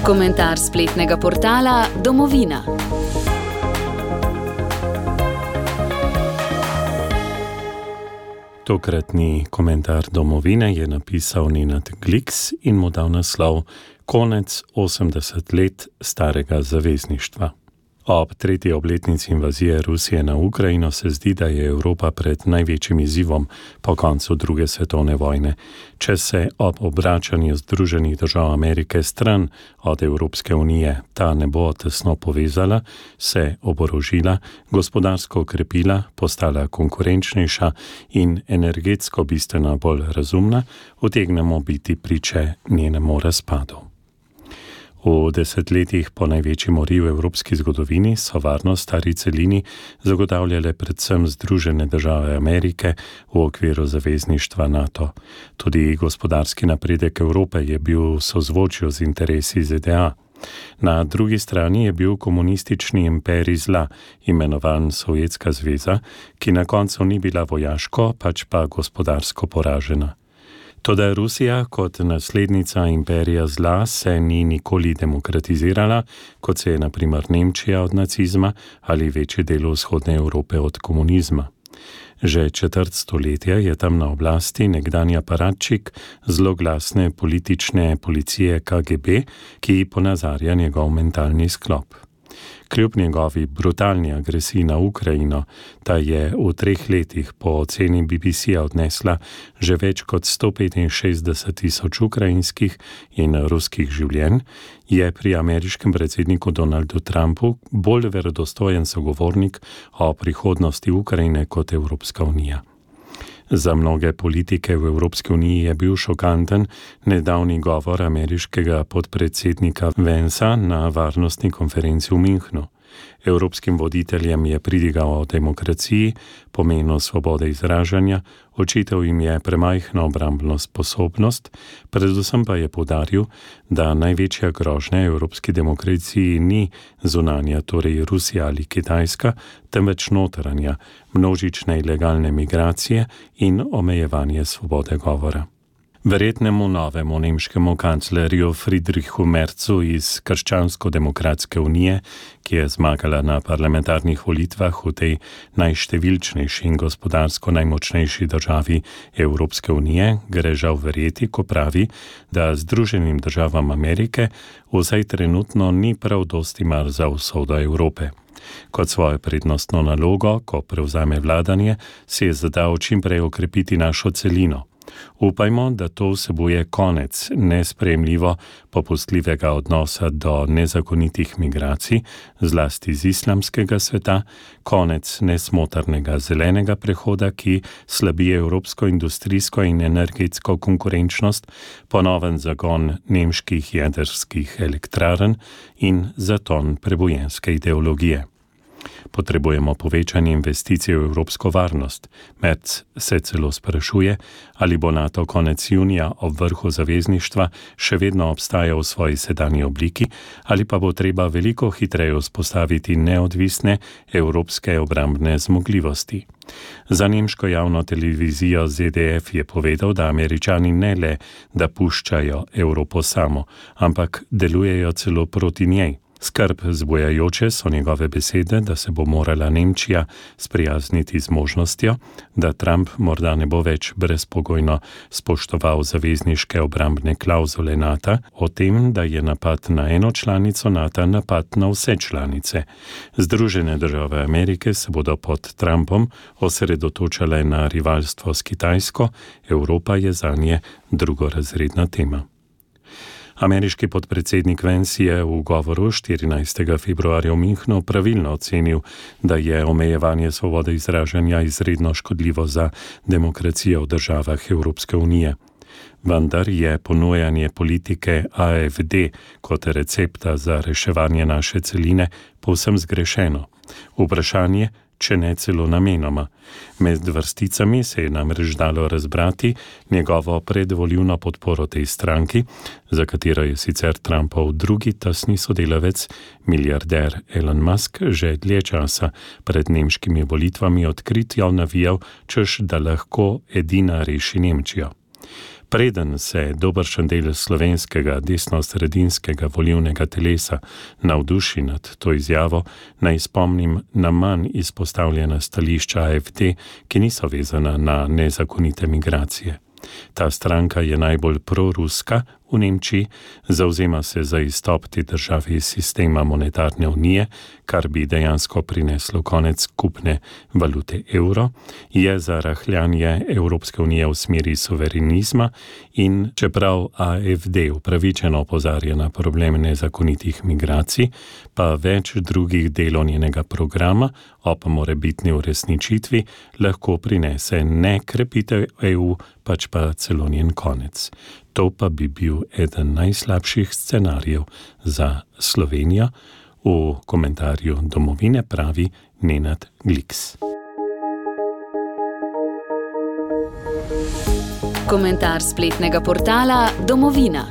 Komentar spletnega portala Domovina. Tokratni komentar Domovine je napisal Nenad Gliks in mu dal naslov Konec 80 let starega zavezništva. Ob tretji obletnici invazije Rusije na Ukrajino se zdi, da je Evropa pred največjim izzivom po koncu druge svetovne vojne. Če se ob obračanju Združenih držav Amerike stran od Evropske unije ta ne bo tesno povezala, se oborožila, gospodarsko okrepila, postala konkurenčnejša in energetsko bistveno bolj razumna, utegnemo biti priče njenemu razpadu. V desetletjih po največji mori v evropski zgodovini so varnost stari celini zagotavljale predvsem Združene države Amerike v okviru zavezništva NATO. Tudi gospodarski napredek Evrope je bil v sozvočju z interesi ZDA. Na drugi strani je bil komunistični imperij zla, imenovan Sovjetska zveza, ki na koncu ni bila vojaško, pač pa gospodarsko poražena. Toda Rusija kot naslednica imperija zla se ni nikoli demokratizirala, kot se je na primer Nemčija od nacizma ali večji del vzhodne Evrope od komunizma. Že četrt stoletja je tam na oblasti nekdanji aparatčik zloglasne politične policije KGB, ki ponazarja njegov mentalni sklop. Kljub njegovi brutalni agresiji na Ukrajino, ta je v 3 letih po oceni BBC-ja odnesla že več kot 165.000 ukrajinskih in ruskih življenj, je pri ameriškem predsedniku Donaldu Trumpu bolj verodostojen sogovornik o prihodnosti Ukrajine kot Evropska unija. Za mnoge politike v Evropski uniji je bil šokanten nedavni govor ameriškega podpredsednika Vansa na varnostni konferenci v Münchnu. Evropskim voditeljem je pridigal o demokraciji, pomenu svobode izražanja, očital jim je premajhno obrambno sposobnost, predvsem pa je poudaril, da največja grožnja evropski demokraciji ni zunanja, torej Rusija ali Kitajska, temveč notranja, množične ilegalne migracije in omejevanje svobode govora. Verjetnemu novemu nemškemu kanclerju Friedrichu Merzu iz Krščansko-demokratske unije, ki je zmagala na parlamentarnih volitvah v tej najštevilčnejši in gospodarsko najmočnejši državi Evropske unije, gre žal verjeti, ko pravi, da Združenim državam Amerike vsaj trenutno ni prav dosti mar za usodo Evrope. Kot svojo prednostno nalogo, ko prevzame vladanje, si je zadal čim prej okrepiti našo celino. Upajmo, da to vsebuje konec nesprejemljivo popustljivega odnosa do nezakonitih migracij, zlasti z islamskega sveta, konec nesmotrnega zelenega prehoda, ki slabi evropsko industrijsko in energetsko konkurenčnost, ponoven zagon nemških jedrskih elektrarn in zaton prebojenske ideologije. Potrebujemo povečanje investicij v evropsko varnost. Merz se celo sprašuje, ali bo NATO konec junija ob vrhu zavezništva še vedno obstajal v svoji sedanji obliki, ali pa bo treba veliko hitreje vzpostaviti neodvisne evropske obrambne zmogljivosti. Za nemško javno televizijo ZDF je povedal, da Američani ne le, da puščajo Evropo samo, ampak delujejo celo proti njej. Skrb zbujajoče so njegove besede, da se bo morala Nemčija sprijazniti z možnostjo, da Trump morda ne bo več brezpogojno spoštoval zavezniške obrambne klavzule NATO, o tem, da je napad na eno članico NATO napad na vse članice. Združene države Amerike se bodo pod Trumpom osredotočale na rivalstvo s Kitajsko, Evropa je zanje drugorazredna tema. Ameriški podpredsednik Vance je v govoru 14. februarja v Münchnu pravilno ocenil, da je omejevanje svobode izražanja izredno škodljivo za demokracijo v državah Evropske unije. Vendar je ponujanje politike AfD kot recepta za reševanje naše celine povsem zgrešeno. Vprašanje, če ne celo namenoma. Med vrsticami se je namreč dalo razbrati njegovo predvolilno podporo tej stranki, za katero je sicer Trumpov drugi tesni sodelavec, milijarder Elon Musk, že dlje časa pred nemškimi volitvami odkritjo navijal, češ da lahko edina reši Nemčijo. Preden se dobršen del slovenskega desno-sredinskega volilnega telesa navduši nad to izjavo, naj spomnim na manj izpostavljena stališča AfD, ki niso vezana na nezakonite migracije. Ta stranka je najbolj proruska v Nemčiji, zavzema se za izstop te države iz sistema monetarne unije, kar bi dejansko prineslo konec skupne valute evro, je za rahljanje Evropske unije v smeri suverenizma in čeprav AfD upravičeno opozarja na problem nezakonitih migracij, pa več drugih delov njenega programa ob morebitni uresničitvi lahko prinese ne krepitev EU, pač pa celo njen konec. To pa bi bil eden najslabših scenarijev za Slovenijo, v komentarju Domovine pravi Nenad Gliks. Komentar spletnega portala Domovina.